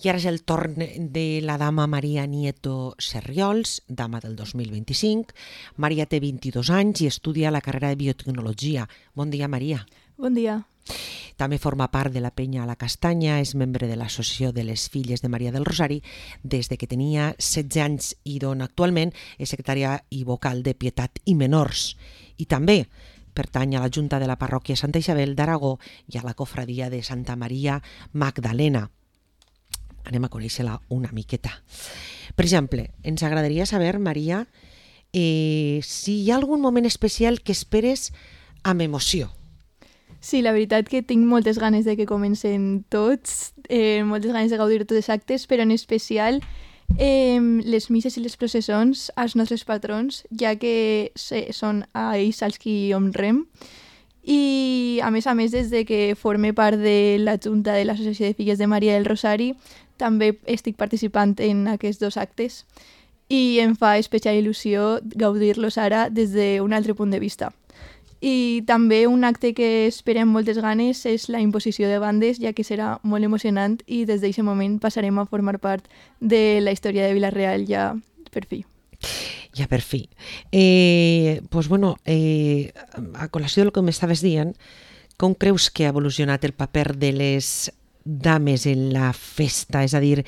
I ara és el torn de la dama Maria Nieto Serriols, dama del 2025. Maria té 22 anys i estudia la carrera de biotecnologia. Bon dia, Maria. Bon dia. També forma part de la Penya a la Castanya, és membre de l'Associació de les Filles de Maria del Rosari des de que tenia 16 anys i d'on actualment és secretària i vocal de Pietat i Menors. I també pertany a la Junta de la Parròquia Santa Isabel d'Aragó i a la Cofradia de Santa Maria Magdalena. Anem a conèixer-la una miqueta. Per exemple, ens agradaria saber, Maria, si hi ha algun moment especial que esperes amb emoció. Sí, la veritat que tinc moltes ganes de que comencen tots, moltes ganes de gaudir de tots els actes, però en especial les misses i les processons als nostres patrons, ja que són a ells als qui honrem. I a més, des de que forme part de la Junta de l'Associació de Filles de Maria del Rosari, també estic participant en aquests dos actes i em fa especial il·lusió gaudir-los ara des d'un altre punt de vista. I també un acte que esperem moltes ganes és la imposició de bandes, ja que serà molt emocionant i des d'aquest moment passarem a formar part de la història de Vila-real ja per fi. Ja per fi. Pues bueno, a col·lació del que m'estaves dient, com creus que ha evolucionat el paper de les dames en la festa? És a dir,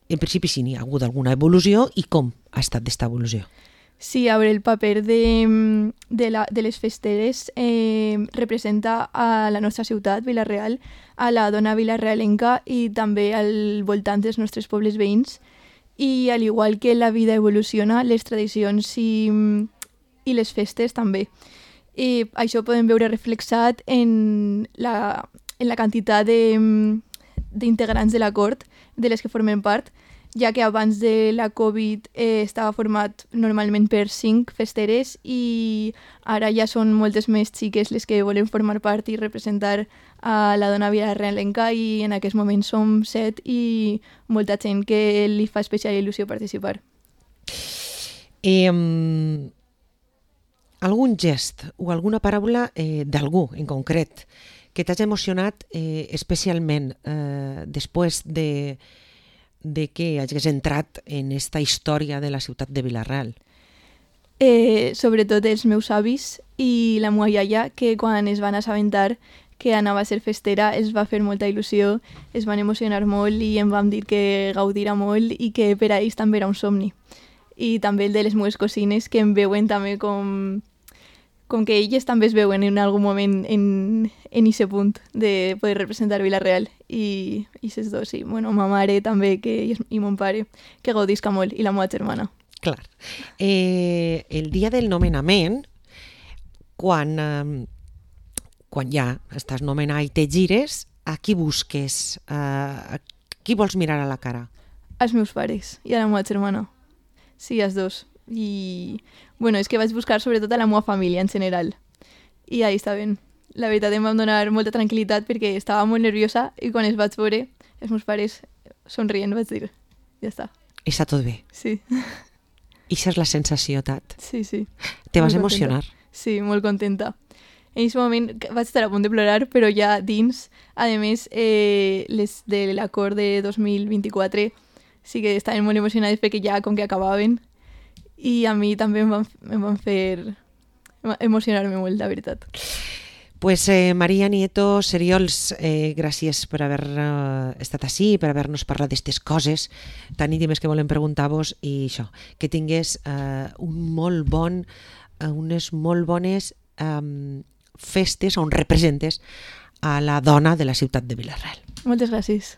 en principi sí n'hi ha hagut alguna evolució i com ha estat aquesta evolució? Sí, a veure, el paper de les festeres representa a la nostra ciutat, Vila-real, a la dona vilarealenca i també al voltant dels nostres pobles veïns. I al igual que la vida evoluciona, les tradicions i les festes també. I això ho podem veure reflexat en la quantitat d'integrants de la cort de les que formen part, ja que abans de la Covid estava format normalment per 5 festeres i ara ja són moltes més xiques les que volen formar part i representar a la dona vilarealenca i en aquest moment som 7 i molta gent que li fa especial il·lusió participar. Algun gest o alguna paraula d'algú en concret que t'has emocionat especialment després de que hagis entrat en esta història de la ciutat de Vila-real? Sobretot els meus avis i la meva iaia, que quan es van assabentar que anava a ser festera els va fer molta il·lusió, es van emocionar molt i em van dir que gaudirà molt i que per a ells també era un somni. I també el de les meves cosines, que em veuen també com que elles també es veuen en algun moment en aquest punt de poder representar Vila-real. I aquests dos, sí. Bueno, ma mare també i mon pare, que gaudisca molt, i la meva germana. Clar. El dia del nomenament, quan ja estàs nomenat i te gires, a qui busques? A qui vols mirar a la cara? Als meus pares i a la meva germana. Sí, als dos. I, bueno, és que vaig buscar sobretot a la meva família en general. I ahí està ben. La veritat em va donar molta tranquil·litat perquè estava molt nerviosa i quan els vaig veure, els meus pares somrient, vaig dir, ja està. Està tot bé? Sí. I això és la sensació, Tat? Sí, sí. Te vas emocionar? Sí, molt contenta. En aquest moment vaig estar a punt de plorar, però ja dins, a més, les de l'acord de 2024 sí que estaven molt emocionades perquè ja com que acabaven i a mi també em van fer emocionar-me molt, la veritat. Pues Maria Nieto Serriols, gràcies per haver estat ací, per haver-nos parlat d'aquestes coses tan íntimes que volem preguntar-vos i això, que tingués unes molt bones festes on representes a la dona de la ciutat de Vila-real. Moltes gràcies.